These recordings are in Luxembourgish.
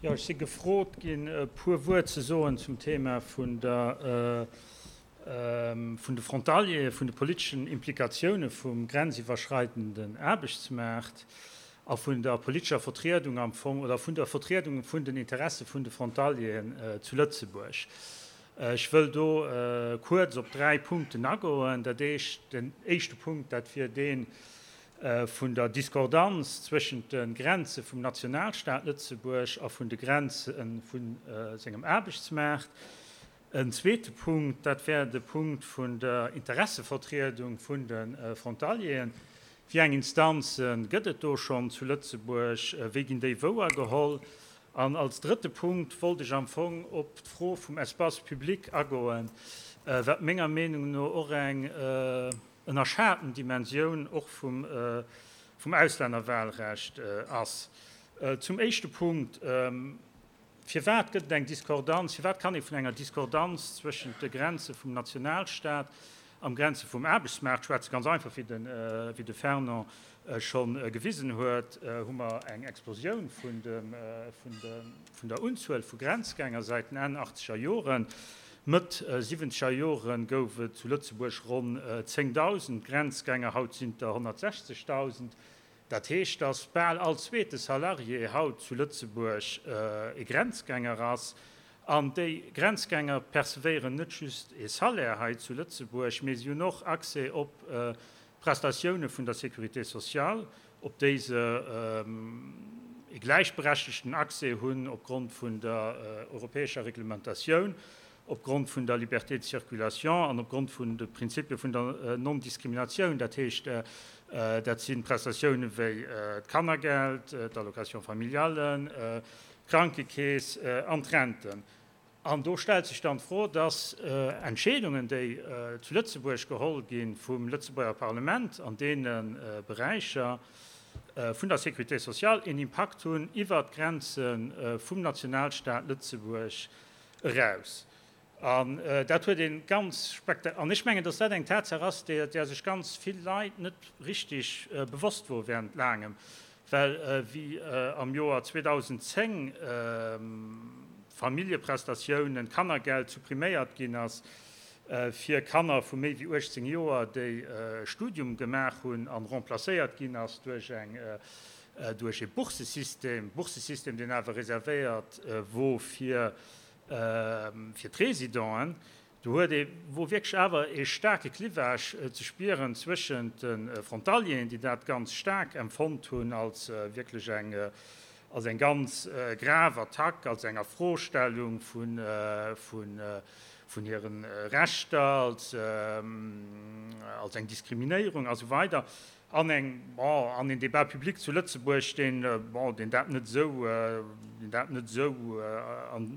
Jo, ech si gefrot ginn, e puer Wuert ze soen zum Thema vun der, vun de Frontalieren, vun de politeschen Implikatioune vum grenziwwerschreidenden Aarbechtsmaart a vun der politescher Vertriedung am Fong oder vun der Vertriedung vun den Interesse vun de Frontalieren zu Lëtzebuerg. Ech wëll do kuerz op 3 Punkten agoen. Dat éischt, den éischte Punkt, dat wier dee vun der Discordanz zwëschent de Grenze vum Nationalstaat Lëtzebuerg a vun de Grenze vu sengem Aarbechtsmaart. En zweete Punkt, dat wär de Punkt vun der Interessevertriedung vun de Frontalieren. Wéi eng Instanze gëtt et do schonn zu Lëtzebuerg? Wéi ginn déi wouergeholl? An als drëtte Punkt wollt ech am Fong op d'Fro vum Espace public agoen, wat menger Meenung no och eng ënnerschaten Dimensioun och vum Auslännerwahlrecht ass. Zum éischte Punkt, Firwat gëtt et eng Diskordanz, firwat kann ee vun enger Diskordanz zwëschent de Grenze vum Nationalstaat am Grenze vum Aarbechtsmaart schwätzen? Ganz einfach, wéi de Fernand scho gewisen huet, hu mer eng Explosioun vun der Unzuel vu Grenzgänger säit den Enn achtzeger Joren. Mëtt siwwenzeger Jore gouf et zu Lëtzebuerg ronn 10.000 Grenzgänger, haut sinn et der 160.000. Dat heescht, datt bal all zweete Salarié haut zu Lëtzebuerg e Grenzgänger ass. An déi Grenzgänger percevéieren net just e Salaire hei zu Lëtzebuerg, mee si hunn och Accès op d'Prestatioune vun der Sécurité sociale, op déi se e gläichberechtegten Accès hunn opgrond vun der europäescher Reglementatioun, opgrond vun der Liberté de circulation an opgrond vun de Prinzipie vun der Non-Diskriminatioun. Dat heescht, dat si Prestatioune wéi d'Kannergeld, d'Allocation familiale, d'Krankekeess an d'Renten. An do stellt sech dann d'Fro, dass Entscheedungen, déi zu Lëtzebuerg geholl gi vum Lëtzebuerger Parlament an deene Beräicher vun der Sécurité sociale, een Impakt hunn iwwert d'Grenze vum Nationalstaat Lëtzebuerg eraus. An dat huet ee ganz spekta-, an ech mengen, dass dat eng Tatsaach ass, där sech ganz vill Leit net richtig bewosst wor während laangem, well wéi am Joer 2010 d'Familljeprestatiounen, d'Kannergeld suppriméiert ginn ass fir Kanner vu méi wéi 18 Joer, déi e Studium gemaach hunn, an remplacéiert ginn ass duerch eng, duerch e Bourssesystem, Bourssesystem, deen awer reservéiert wor fir fir d'Résidenten. Do huet ee wor wierklech awer e staarke Clivage ze spieren zwëschent de Frontalieren, déi dat ganz staark empfonnt hunn als wierklech eng, als eng ganz grav Attack, als eng Afrostellung vun, vun, vun hire Rechter, als, als eng Diskriminéierung a sou weider. An eng, bon, an een Débat public zu Lëtzebuerg, deen, bon, deen dat net esou, deen dat net esou an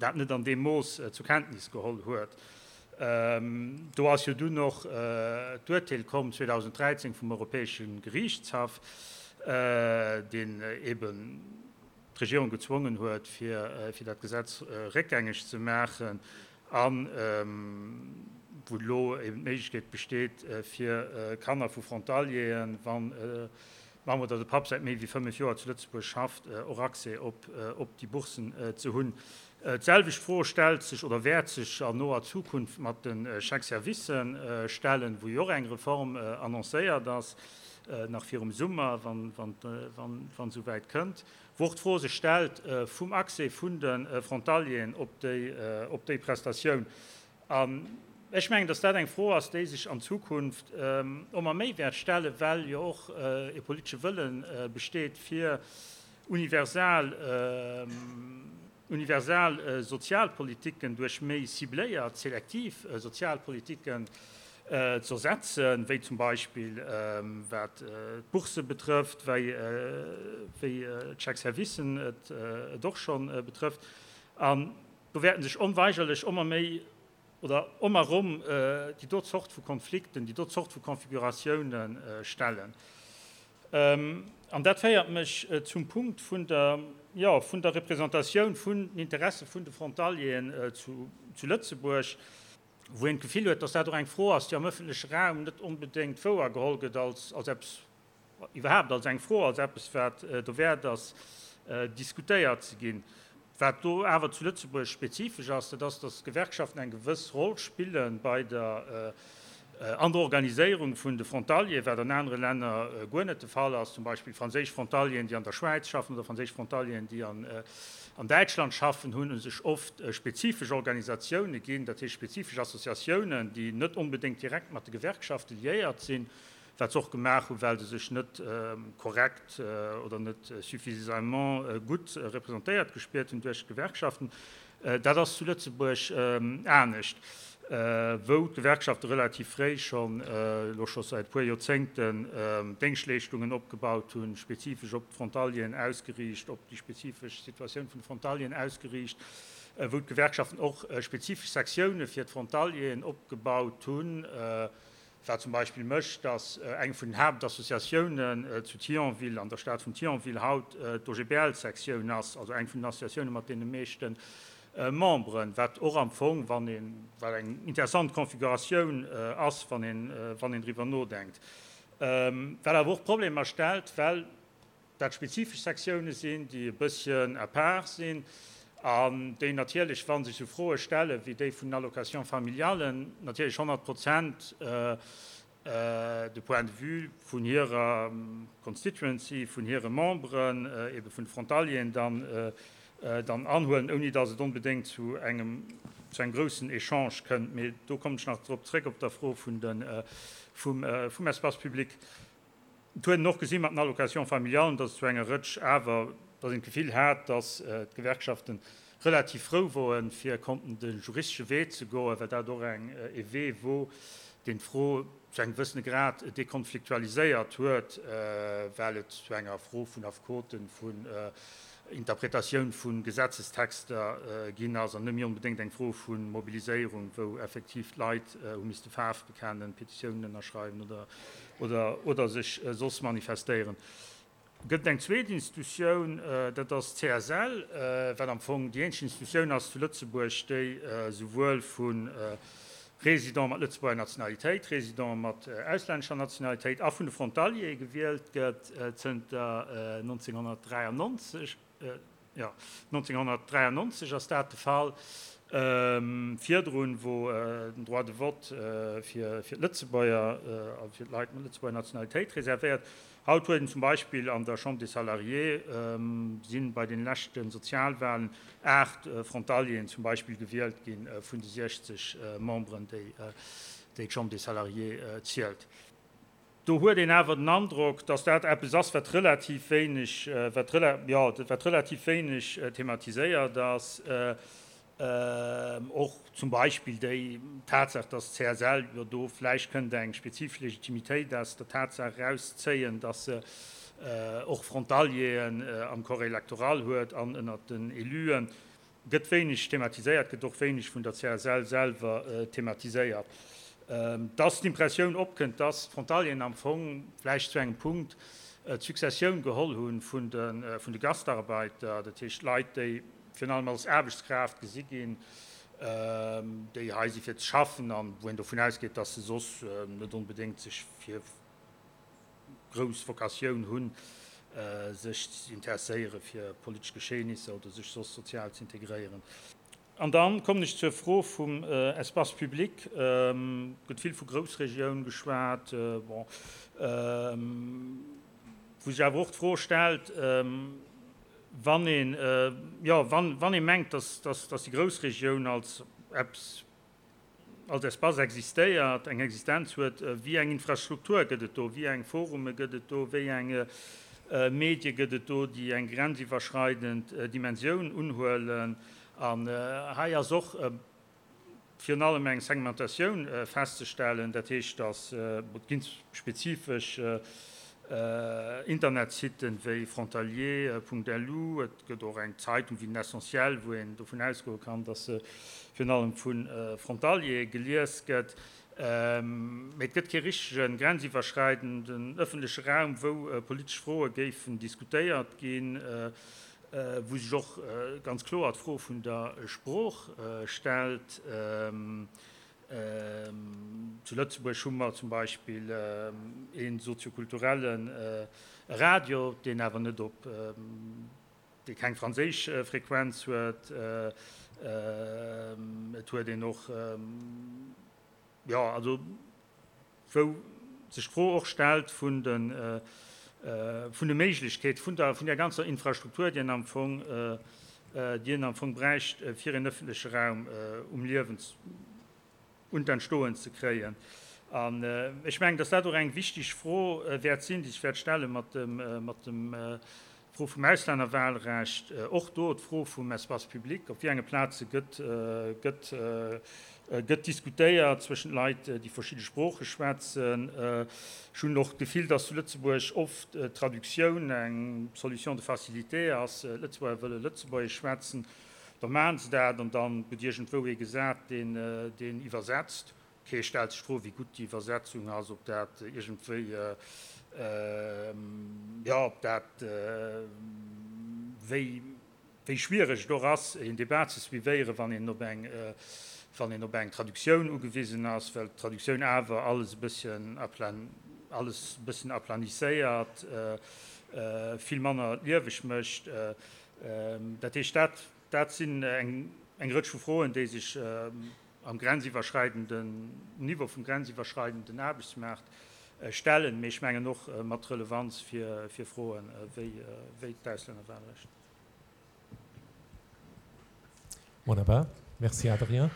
dat net an deem Mooss zur Kenntnis geholl huet. Do ass jo dunn och d'Urteel komm 2013 vum Europäesche Geriichtshaff, deen eeben d'Regierung gezwongen huet, fir dat Gesetz réckgängeg ze maachen a wou elo eben d'Méiglechkeet besteet, fir Kanner vu Frontalieren, wann d'Mamm oder de Papp säit méi wéi 5 Joer zu Lëtzebuerg schafft, och Accès op déi Boursen ze hunn. D'selwecht Fro stellt sech oder wäert sech an noer Zukunft mat de Chèques-servicen stellen, wou jo och eng Reform annoncéiert ass, nach virum Summer, wann esouwäit kënnt, wou och d'Fro sech stellt vum Accès vun de Frontalieren op déi Prestatioun. An ech mengen, dass dat eng Fro ass, déi sech an Zukunft ëmmer méi wäert stellen, well jo och e politesche Wëlle besteet, fir universal, universal Sozialpolitiken duerch méi cibléiert, selektiv Sozialpolitiken ze ersetzen, wéi zum Beispill wat d'Bourse betrëfft, wéi d'Chèques-servicen et och scho betrëfft. An do wäerten sech onweigerlech ëmmer méi oder ëmmer erëm déi do Zort vu Konflikten, déi do Zort vu Konfiguratiounen stellen. An dat féiert mech zum Punkt vun der, jo, vun der Représentatioun vun den Interesse vun de Frontalieren zu Lëtzebuerg, wou een d'Gefill huet, dass dat och eng Fro ass, déi am öffentleche Raum net onbedéngt wouergeholl gëtt als, als eppes, iwwerhaapt als eng Fro, als eppes, wat dowäert ass. diskutéiert ze ginn. Wat do awer zu Lëtzebuerg spezifesch ass, dat ass, datt d'Gewerkschaften eng gewëss Roll spille bei der, an der Organiséierung vun de Frontalieren, wat an anere Länner guer net de Fall ass, zum Beispill franséisch Frontalieren, déi an der Schwäiz schaffen, oder franséisch Frontalieren, déi an Däitschland schaffen, hunn u sech oft spezifesch Organisatioune ginn, dat heescht spezifesch Associatiounen, déi net onbedéngt direkt mat de Gewerkschafte liéiert sinn, wat se och gemaach hunn, well se sech net korrekt oder net suffisamment gutt representéiert gespiert hunn duerch d'Gewerkschaften. Dat ass zu Lëtzebuerg anescht, wou d'Gewerkschafte relativ fréi schonn, elo scho säit e puer Joerzéngten, Déngschtleeschtungen opgebaut hunn, spezifesch op d'Frontalieren ausgeriicht, op déi spezifesch Situatioun vun de Frontalieren ausgeriicht, wou d'Gewerkschaften och spezifesch Sektioune fir d'Frontalieren opgebaut hunn, Wat zum Beispill mécht, datt eng vun den Haaptassociatiounen zu Thionville, an der Stad vun Thionville haut d'OGBL-Sektioun ass, also eng vun den Associatioune mat deene meeschte Memberen, wat och am Fong, wann een, wat eng interessant Configuratioun ass, wann een, wann een driwwer nodenkt. Wat awer och Problemer stellt, well dat spezifesch Sektioune sinn, déi e bësschen à part sinn an déi natierlech, wa sech esou Froe stelle wéi déi vun den Allocations familiales, natierlech 100 Prozent de Point de vue vun hirer Constituency, vun hire Memberen, ebe vun de Frontalieren dann, dann anhuelen, ouni datt et onbedéngt zu engem, zu engem groussen Echange kënnt. Mee do kommen ech nach drop zréck op der Fro vun de, vum, vum Espace public. Et huet een och gesi mat den Allocations familiales, datt et zu enger Rëtsch awer, datt een d'Gefill hat, datt d'Gewerkschafte relativ frou woen, fir konnten de juristesche Wee ze goen, well dat och eng e Wee wor, deen d'Fro zu engem gewëssene Grad dekonfliktualiséiert huet, well et zu enger Fro vun Affekoten, vun Interpretatioun vu Gesetzestexter ginn ass an net méi onbedéngt eng Fro vu Mobiliséierung, wou effektiv d'Leit hu misste Faarf bekennen, Petitiounen ënnerschreiwen oder oder sech soss manifestéieren. Gëtt et eng zweet Institutioun, dat ass d'CSL, wat am Fong déi eenzeg Institutioun ass zu Lëtzebuerg, déi esouwuel vu Résidente mat Lëtzebuerger Nationalitéit, Résidente mat auslännescher Nationalitéit a vun de Frontaliere gewielt gëtt zënter 1993. Jo, 1993 ass dat de Fall. Virdrun wor den Droit de vote fir d'Lëtzebuerger, also fir d'Leit mat Lëtzebuerger Nationalitéit reservéiert. Haut huet een zum Beispill an der Chambre des Salariés, si bei den leschte Sozialwahlen 8 Frontalieren zum Beispill gewielt gi vun de 60 Memberen, déi d'Chambre des Salariés zielt. Do huet een awer den Androck, dass dat eppes ass, wat relativ wéineg, wat jo, wat relativ wéineg thematiséiert ass. Och zum Beispill déi Tatsaach, dass d'CSL jo do vläicht kënnt eng spezifesch Legitimitéit aus der Tatsaach erauszéien, dass se och Frontalieren am Corps électoral huet an ënnert den Éluen. Gëtt wéineg thematiséiert, gëtt och wéineg vun der CSL selwer thematiséiert. Dass d'Impressioun opkënnt, dass d'Frontalieren am Fong vläicht zu engem Punkt d'Successioun geholl hu vun de Gastarbeiter, dat heescht Leit, déi virun allem als Aarbechtskraaft gesi ginn, déi hei si fir ze schaffen an wou een dovun ausgeet, dass se soss net onbedéngt sech fir grouss Vocatioun hunn, sech ze interesséiere fir politesch Geschehnisser oder sech soss sozial ze integréieren. An da kommen ech zur Fro vum Espace public. Et gëtt vill vu Groussregioun geschwat, bon, wou sech awer och d'Fro stellt, wann een, jo, wann ee mengt, dass déi Groussregioun als eppes, als Espace existéiert, eng Existenz huet, wéi eng Infrastruktur gëtt et do, wéi eng Forume gëtt et do, wéi eng Medie gëtt et do, déi eng grenziwwerschreidend Dimensioun unhuelen. An hei ass och virun allem eng Segmentatioun festzestellen, dat heescht, datt et ginn spezifesch Internetsitten wéi frontalier.lu, et gëtt och eng Zeitung wéi den Essentiel, wou een dovun ausgoe kann, datt se virun allem vu Frontaliere gelies gëtt. Mee et gëtt kee richtege grenziwwerschreidenden ëffentleche Raum, wou politesch Froe géifen diskutéiert ginn, wou sech och ganz kloer d'Fro vun der Sprooch stellt. Zu Lëtzebuerg hu mer zum Beispill ee soziokulturelle Radio, deen awer net op. dee keng franséisch Frequenz huet. Et huet een och, jo, also wou sech d'Fro och stellt vun de, vun de Méiglechkeet vun der, vun där ganzer Infrastruktur, déi een am Fong, déi een am Fong bräicht, fir een öffentleche Raum um Liewen un d'Entstoen ze kréien. An ech mengen, dass dat och eng wichteg Fro wäert sinn, déi sech wäert stelle mat dem, mat dem d'Fro vum Auslännerwahlrecht, och do d'Fro vum Espace public, op wéi enge Plaze gëtt, gëtt, gëtt diskutéiert zwëschent Leit, déi verschidde Sprooche schwätzen. Ech hunn och d'Gefill, dass zu Lëtzebuerg oft d'Traductioun eng Solution de facilité ass. D'Lëtzebuerger wëlle Lëtzebuergesch schwätzen, da maachen se dat an da gëtt iergendwou ee gesat, deen, deen iwwersetzt. Kee stellt sech d'Fro, wéi gutt déi Iwwersetzung ass, ob dat iergendwéi, jo, ob dat, wéi, wéi schwiereg et och ass, een Debat ze suivéieren, wann een op eng, wann een op eng Traductioun ugewisen ass, well d'Traductioun awer alles e bësschen aplan, alles e bësschen aplanisséiert, vill manner lieweg mécht. Dat heescht, dat, dat sinn eng, eng Rëtsch vu Froen, déi sech am grenziwwerschreidenden Niveau vum grenziwwerschreidenden Aarbechtsmaart stellen, mee ech mengen och mat Relevanz fir Froen wéi d'Auslännerwahlrecht. Wunnerbar. Merci Adrien.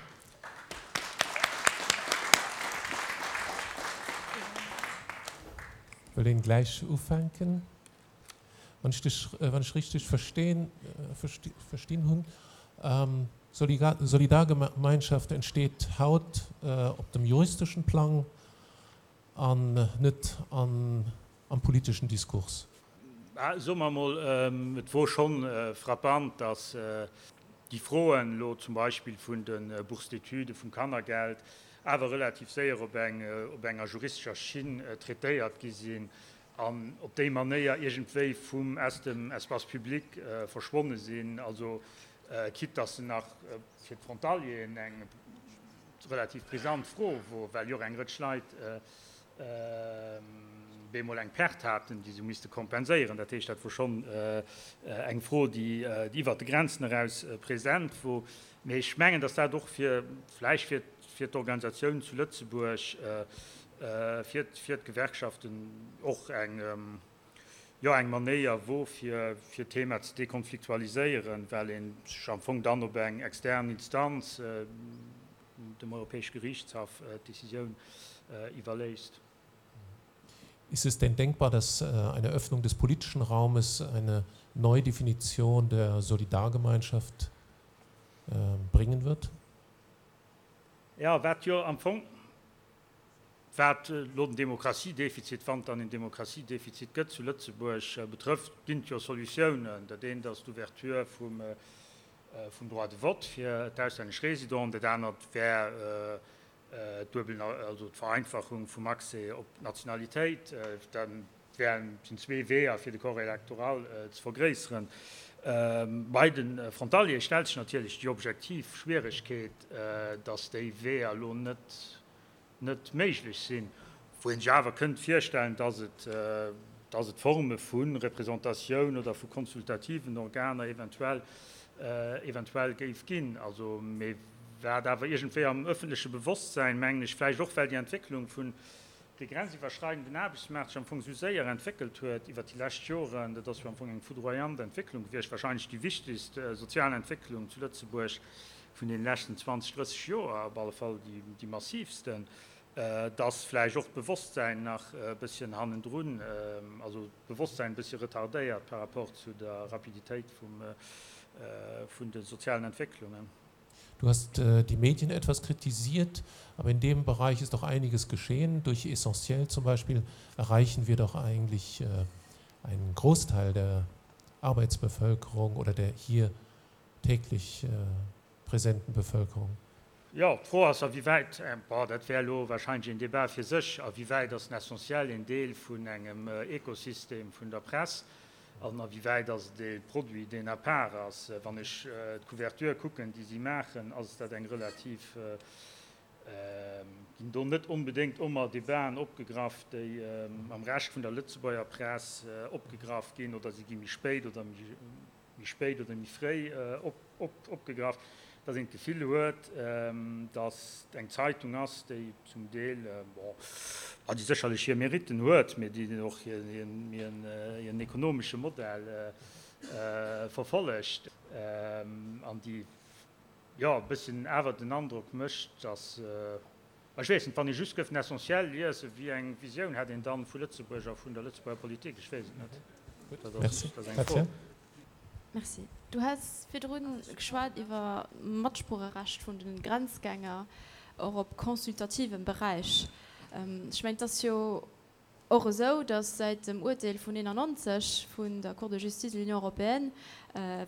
Wëll een gläich ufänken? Wann ech dech, wann ech richteg verstinn, verstinn hunn, Solidargemeinschaft entsteet haut op dem juristeschen Plang an net an, am politeschen Diskurs. Soe mer emol, et wor schonn frappant, datt déi Froen elo zum Beispill vun de Bourses d'études, vum Kannergeld, awer relativ séier op eng, op enger juristescher Schinn traitéiert gi sinn an op déi Manéier iergendwéi vum, aus dem Espace public verschwonne sinn, also quitte dass se nach fir d'Frontalieren eng relativ brisant Fro wor, well jo och eng Rëtsch Leit bemol eng Perte haten, déi se misste kompenséieren. Dat heescht, dat wor schonn eng Fro, déi iwwert de Grenzen eraus present wor. Mee ech mengen, dass dat och fir, vläicht fir, fir d'Organisatiounen zu Lëtzebuerg, fir, fir d'Gewerkschaften och eng, jo, eng Manéier wor, fir, fir d'Thema ze dekonfliktualiséieren, well ee sech am Fong dann op eng extern Instanz, dem Europäesche Gerichtshaff, d'Decisioun iwwerléisst. Ist es denn denkbar, dass eine Öffnung des politischen Raumes eine Neudefinition der Solidargemeinschaft bringen wird? Jo, wat jo am Fong, wat elo den Demokratiedefizit, wann et dann en Demokratiedefizit gëtt zu Lëtzebuerg, betrëfft, ginn et jo Solutiounen. Dat eent ass d'Ouverture vum, vum Droit de vote fir d'auslännesch Résidenten, dat anert wär d'duebel, also d'Vereinfachung vum Accès op d'Nationalitéit. Dat wären, sinn zwee Weeër, fir de Corps électoral ze vergréisseren. Bei de Frontaliere stellt sech natierlech déi objektiv Schwieregkeet, dass déi Weeër elo net, net méiglech sinn, wou ee sech awer kënnt virstellen, dass et, dass et Forme vu Représentatioun oder vu konsultativen Organer eventuell, eventuell géif ginn. Also, mee wat awer iergendwéi am öffentleche Bewosstsäin, mengen ech, vläicht och well déi Entwécklung vun de grenziwwerschreidenden Aarbechtsmaart sech am Fong esou séier entwéckelt huet iwwert déi lescht Joren, dat ass jo am Fong eng foudroyant Entwécklung gewiescht, wahrscheinlech déi wichtegst sozial Entwécklung zu Lëtzebuerg vun deene leschten 20, 30 Joer, op alle Fall déi massivsten, dass vläicht och d'Bewosstsäin nach e bësschen hannendrun, also d'Bewosstsäin e bëssche retardéiert par rapport zu der Rapiditéit vun de sozialen Entwécklungen. Du hast äh, die Medien etwas kritisiert, aber in dem Bereich ist doch einiges geschehen. Durch Essentiell zum Beispiel erreichen wir doch eigentlich äh, einen Großteil der Arbeitsbevölkerung oder der hier täglich äh, präsenten Bevölkerung. Jo, d'Fro ass, a wéi wäit, bon, dat wär elo wahrscheinlech een Débat fir sech, a wéi wäit ass den Essentiel een Deel vun engem Ekosystem vun der Press an a wéi wäit ass et ee Produit, deen à part ass. Wann ech d'Couverture kucken, déi si maachen, ass dat eng relativ, ginn do net onbedéngt ëmmer Debaten opgegraff, déi am Rescht vun der Lëtzebuerger Press opgegraff ginn, oder si gi méi spéit oder méi. méi spéit oder méi fréi opgegraff, dass een d'Gefill huet, dass et eng Zeitung ass, déi zum Deel, bon, déi sécherlech hir Méritten huet, mee déi och hiren ekonomesche Modell verfollegt an déi, jo, e bësschen awer den Androck mécht, dass, ech weess net, wann ee just gëff den Essentiel liesen, wéi eng Visioun hätt een dann vu Lëtzebuerg a vun der Lëtzebuerger Politik? Ech weess et net. Dat ass eng Fro. Merci. Du has virdru geschwat iwwer Matsproocherecht vun de Grenzgänger, och op consultativem Beräich. Ech mengen, et ass jo och esou, datt säit dem Uerteel vun 91 vun der Cour de justice de l'Union européenne,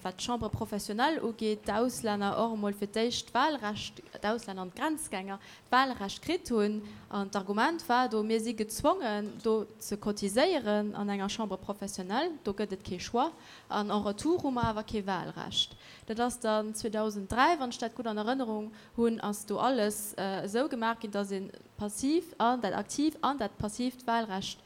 wat d'Chambres professionnelles ugeet, d'Auslänner och emol fir d'éischt d'Wahlrecht, d'Auslänner an d'Grenzgänger, d'Wahlrecht kritt hunn. An d'Argument war do, Mir si gezwongen, do ze cotiséieren an enger Chambre professionnelle, do gëtt et kee Choix, an en retour hu mer awer kee Wahlrecht. Dat ass dann 2003, wann ech dat gutt an Erënnerung hunn, ass do alles esou gemaach ginn, dass ee passiv an dat aktiv an dat passiivt Wahlrecht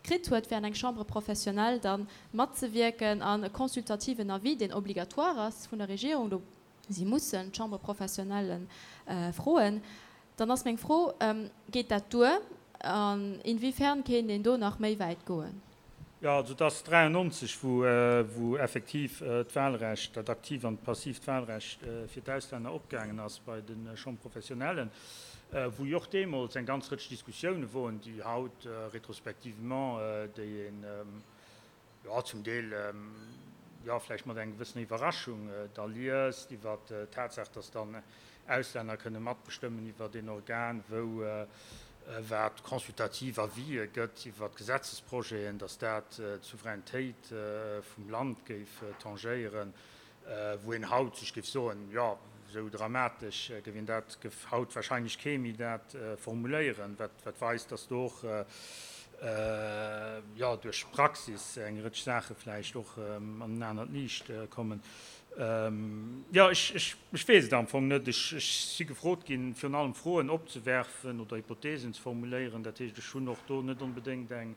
kritt huet, fir an eng Chambre professionnelle da matzewierken an e consultativen Avis, deen obligatoire ass vun der Regierung, do si mussen d'Chambre professionnelle froen. Dann ass meng Fro, Geet dat duer an inwiefern kéint een do nach méi wäit goen? Jo, also et ass 93, wou effektiv d'Wahlrecht, dat aktiivt an d'passiivt Wahlrecht fir d'Auslänner opgaangen ass bei de Chambres professionnelles, wou jo och deemools eng ganz Rëtsch Diskussioune woren, déi haut rétrospectivement, déi een, jo, zum Deel, jo, vläicht mat enger gewëssener Iwwerraschung da liest iwwert d'Tatsaach, dass dann Auslänner kënne matbestëmmen iwwert een Organ, wou wat consultativ Avisë gëtt iwwert Gesetzesprojeten, dass dat d'Souveränitéit vum Land géif tangéieren. Wou een haut sech géif soen, jo, esou dramatesch géif een dat, géif haut wahrscheinlech kee méi dat formuléieren, wat wat weist, datt do och, jo, duerch d'Praxis eng Rëtsch Saache vläicht och an en anert Liicht kommen. Jo, ech, ech, ech weess et am Fong net. Ech, ech si gefrot ginn, virun allem Froen opzewerfen oder Hypothesen ze formuléieren. Dat heescht, ech hunn och do net onbedéngt eng,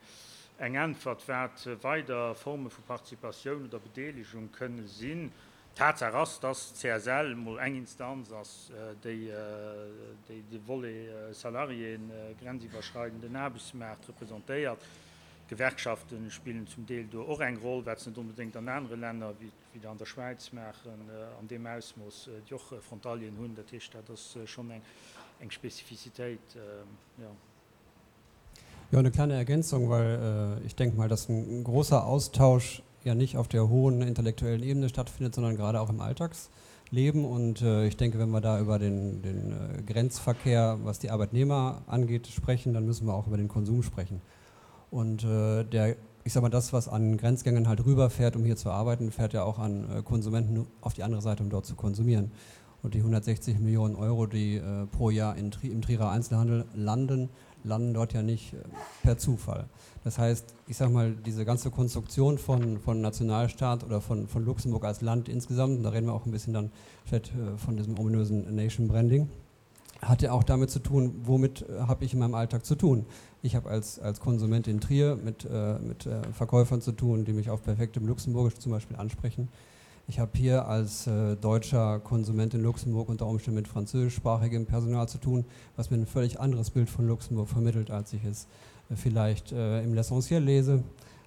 Eng Äntwert, wat weider Forme vu Participatioun oder Bedeelegung kënne sinn. Tatsaach ass, dass d'CSL mol eng Instanz ass, déi de Volet Salariéen, grenziwwerschreidenden Aarbechtsmaart representéiert. D'Gewerkschafte spillen zum Deel do och eng Roll, wat se net onbedéngt an anere Länner, wéi et an der Schwäiz maachen, an deem Ausmooss, déi och Frontalieren hunn. Dat heescht, dat ass schonn eng Spezifizitéit, jo. Ja, eine kleine Ergänzung, weil äh, ich denke mal, dass ein großer Austausch ja nicht auf der hohen intellektuellen Ebene stattfindet, sondern gerade auch im Alltagsleben. Und äh, ich denke, wenn wir da über den, den äh, Grenzverkehr, was die Arbeitnehmer angeht, sprechen, dann müssen wir auch über den Konsum sprechen. Und äh, der, ich sag mal, das, was an Grenzgängern halt rüberfährt, um hier zu arbeiten, fährt ja auch an äh, Konsumenten auf die andere Seite, um dort zu konsumieren. Und die 160 Millionen Euro, die äh, pro Jahr in, im Trierer Einzelhandel landen, landen dort ja nicht äh, per Zufall. Das heißt, ich sag mal, diese ganze Konstruktion von, von Nationalstaat oder von, von Luxemburg als Land insgesamt, und da reden wir auch ein bisschen dann vielleicht äh, von diesem ominösen Nation Branding, hat ja auch damit zu tun, womit äh, habe ich in meinem Alltag zu tun. Ich habe als, als Konsument in Trier mit, äh, mit äh, Verkäufern zu tun, die mich auf perfektem Luxemburgisch zum Beispiel ansprechen. Ich habe hier als äh, deutscher Konsument in Luxemburg unter Umständen mit französischsprachigem Personal zu tun, was mir ein völlig anderes Bild von Luxemburg vermittelt, als ich es äh, vielleicht äh, im L'Essentiel lese.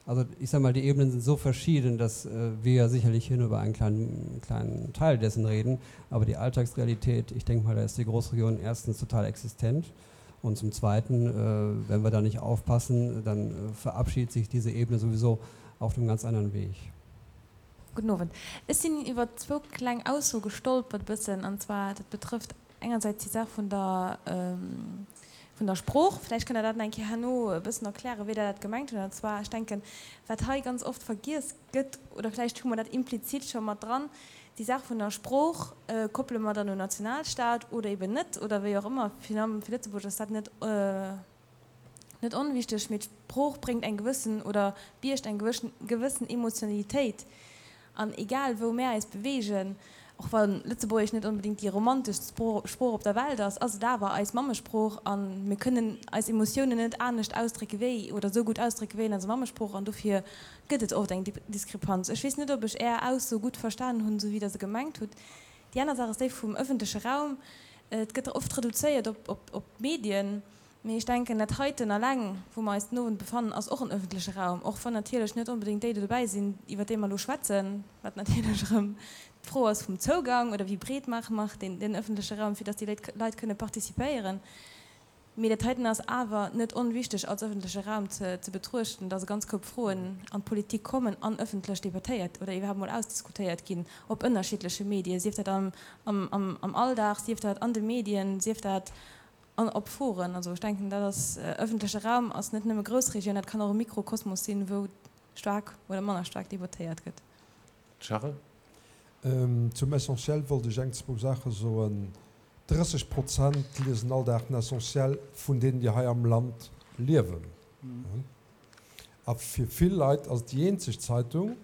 Also ich sag mal, die Ebenen sind so verschieden, dass äh, wir ja sicherlich hier nur über einen kleinen, kleinen Teil dessen reden. Aber die Alltagsrealität, ich denke mal, da ist die Großregion erstens total existent. Und zum Zweiten, äh, wenn wir da nicht aufpassen, dann äh, verabschiedet sich diese Ebene sowieso auf einem ganz anderen Weg. Gudden Owend. Ech sinn iwwer zwou kleng Aussoe gestolpert e bëssen, an zwar dat betrëfft engersäits déi Saach vun der, vun der Sprooch. Vläicht kënnt Der dat nach eng Kéier herno e bëssen erklären, wéi Der dat gemengt hutt. An zwar, ech denken, wat hei ganz oft vergiess gëtt, oder vläicht hu mer dat implizit scho mat dran, déi Saach vun der Sprooch koppele mer dann un Nationalstaat oder eben net oder wéi och ëmmer. Fir Lëtzebuerg ass dat net. Net onwichteg, mee d'Sprooch bréngt eng gewëssen oder biergt eng gewëssen Emotionalitéit. An egal wou mär eis beweegen, Och wa Lëtzebuergesch net onbedéngt déi romanteschst Sprooch op der Welt ass, ass et awer eis Mammesprooch a mir kënnen eis Emotiounen net anescht ausdrécke wéi, oder esou gutt ausdrécke wéi an eiser Mammesprooch an dofir gëtt et oft eng Diskrepanz. Ech weess net, ob ech Är Ausso gutt verstanen hunn, esou wéi Der se gemengt hutt. Déi aner Saach ass déi vum ëffentleche Raum. Et gëtt oft reduzéiert op d'Medien. Mee ech denken, dat heiten alleng, wou mer eis den Owend befannen, ass och en öffentleche Raum, och wann natierlech net onbedéngt déi do dobäi sinn, iwwert déi mer elo schwätzen, wat natierlech erëm d'Fro ass vum Zougang oder wéi breet maache mer deen, deen öffentleche Raum, fir dass déi Léit, Leit kënne participéieren. Mee dat heiten ass awer net onwichtig als öffentleche Raum ze, ze betruechten, dass e ganz Koup Froen an d'Politik kommen an öffentlech debattéiert oder iwwerhaapt mol ausdiskutéiert ginn op ënnerschiddleche Medien, sief dat am, am, am, am Alldag, sief dat an de Medien, sief dat An op Foren. Also ech denken, dat ass, ëffentleche Raum ass net nëmme Groussregioun, dat kann och e Mikrokosmos sinn, wou staark oder manner staark debattéiert gëtt. Charel? Zum Essentiel wollt ech eng, zwou Saache soen. 30 Prozent liesen all Dag den Essentiel vun deenen, déi hei am Land liewen. A fir vill Leit ass et déi eenzeg Zeitung,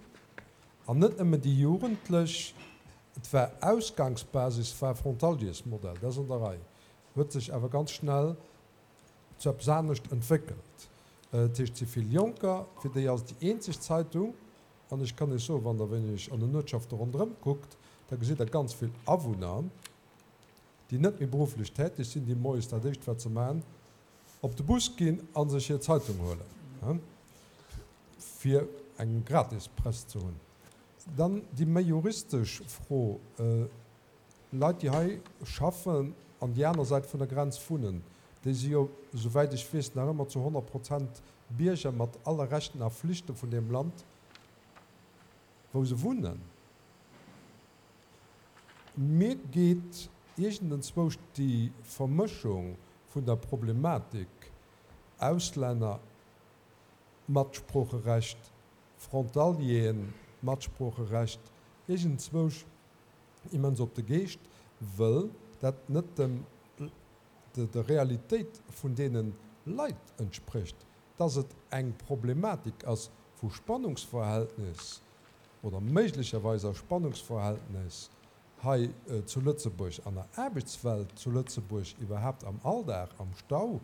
an net nëmmen déi Jugendlech. Et war Ausgangsbasis war Frontaliersmodell, dat ass an der Rei. Huet sech awer ganz schnell zu eppes anescht entwéckelt. Dat heescht, et si vill Jonker, fir déi ass et déi eenzeg Zeitung. An ech kann Iech soen, wann Der wéineg an den Uertschafte ronderëm kuckt, da gesitt Der ganz vill Awunner, déi net méi berufflech täteg sinn, déi moies dat éischt wat se maachen, op de Bus ginn a sech hir Zeitung huelen, fir eng gratis Press ze hunn. Dann déi méi juristesch Fro, Leit, déi hei schaffen an déi aner Säit vun der Grenz wunnen, déi si jo, souwäit ech weess, nach ëmmer zu 100 Prozent Bierger mat alle Rechten a Flichte vun deem Land, wou se wunnen. Mir geet iergendenzwousch déi Vermëschung vun der Problematik Auslänner, Matsproocherecht, Frontalieren, Matsproocherecht iergendzwousch immens op de Geescht, wëll dat net dem der Realitéit vun deene Leit entsprécht, dass et eng Problematik ass vu Spannungsverhältnis oder méiglecherweis a Spannungsverhältnis hei zu Lëtzebuerg, an der Aarbechtswelt zu Lëtzebuerg, iwwerhaapt am Alldag, am Stau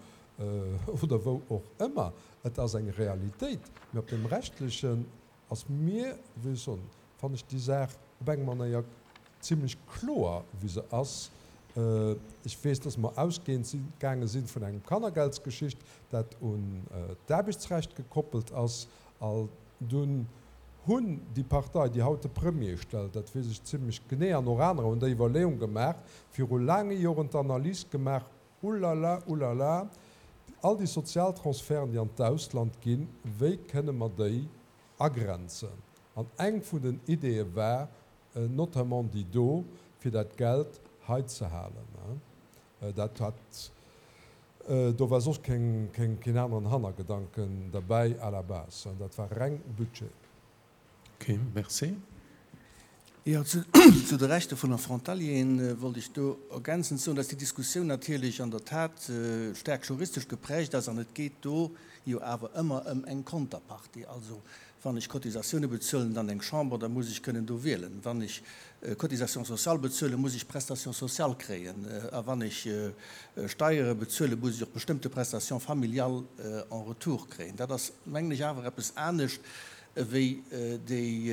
oder wou och ëmmer. Et ass eng Realitéit, mee op deem rechtlechen Ass mir, wéi ech soen, fannen ech déi Saach op eng Manéier zimlech kloer, wéi se ass. Ech weess, dass mer ausgehend si gaange si vun engem Kannergeldsgeschicht, dat un d'Aarbechtsrecht gekoppelt ass. Al dunn hunn déi Partei, déi haut de Premier stellt, dat weess ech zimlech genee, an och anerer hunn déi Iwwerleeung gemaach, viru laange Joren d'Analys gemaach, Ulala, ulala, all déi Sozialtransferten, déi an d'Ausland ginn, wéi kënne mer déi agrenzen? An eng vun den Ideeë war notamment déi do, fir dat Geld hei ze halen. Dat hat, do war soss keng, keen aneren Hannergedanken derbäi à la base, dat war reng Budget. Ok, merci. Jo, zu de Rechter vun der Frontalieren wollt ech do ergänzend soen, dass déi Diskussioun natierlech an der Tat staark juristesch geprägt ass an et geet do jo awer ëmmer ëm eng Konterpartie. Also wann ech Cotisatioune bezuelen an eng Chamber, da muss ech kënnen do wielen. Wann ech Cotisation sociale bezuelen, muss ech Prestation sociale kréien. A wann ech Steiere bezuelen, muss ech och bestëmmte Prestations familiales en retour kréien. Dat ass, mengen ech, awer eppes anescht ewéi déi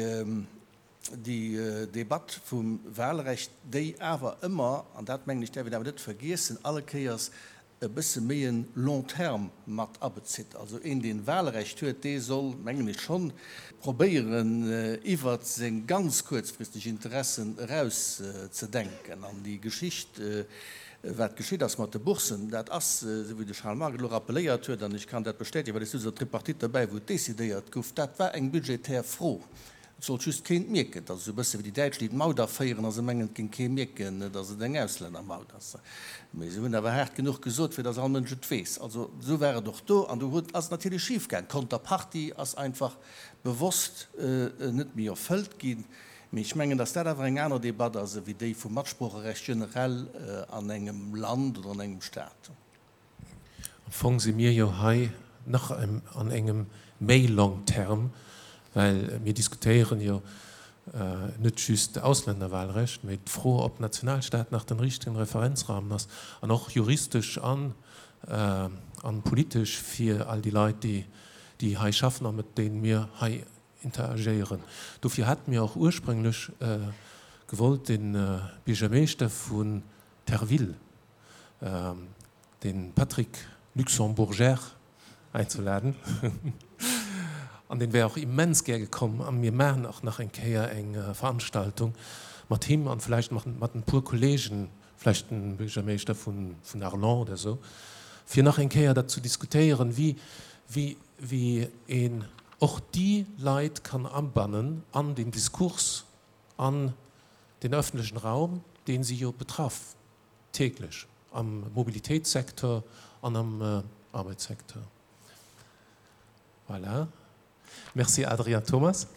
Debatt vum Wahlrecht, déi awer ëmmer, an dat mengen ech däerf een awer net vergiessen, alle Kéiers e bësse méi en long terme mat abezitt. Also een, deen Wahlrecht huet, dee soll, mengen ech, schonn probéieren, iwwert seng ganz kuerzfristeg Interessen eraus ze denken. An déi Geschicht, Wat geschitt ass mat de Boursen, dat ass, esou wéi de Charles Margue elo rappeléiert huet, an ech kann dat bestätigen, well ech souz an der Tripartite derbäi, wou et decidéiert gouf, dat war eng budgetär Fro. Et sollt just keen et mierken. Dat ass esou e bësse wéi déi Däitsch, déi d'Maut aféieren a se mengen, et géing kee mierken, datt et eng Auslännermaut ass. Mee se hunn awer haart genuch gesot, fir datt all Mënsch et weess. Also esou war et och do. An do huet, ass et natierlech schifgaang. D'Konterpartie ass einfach bewosst net méi erfëllt ginn. Mee ech mengen, dass dat awer eng aner Debatt ass ewéi déi vum Matsproocherecht generell an engem Land oder an engem Stat. Am Fong si mir jo hei nach an engem méi long terme, well mir diskutéieren jo. Net just Ausländerwahlrecht, mee d'Fro, ob Nationalstaat nach den richtegen Referenzrahmen ass, an och juristesch an an politesch fir all déi Leit, déi déi hei schaffen a mat deenen mir hei interagéieren. Dofir hate mir och ursprünglech gewollt, den Biergermeeschter vun Terville, den Patrick Luxembourger, einzeladen an deen wär och immens gär gekomm an mir maachen och nach eng Kéier eng Veranstaltung mat him an vläicht mat en puer Kollegen, vläicht den Buergermeeschter vun Arlon oder sou, fir nach eng Kéier dat zu diskutéieren, wéi wéi wéi een och déi Leit kann abannen an den Diskurs, an den öffentlechen Raum, deen si jo betraff. Täglech am Mobilitéitssecteur an am Arbeitssecteur. Voilà. Merci Adrien Thomas.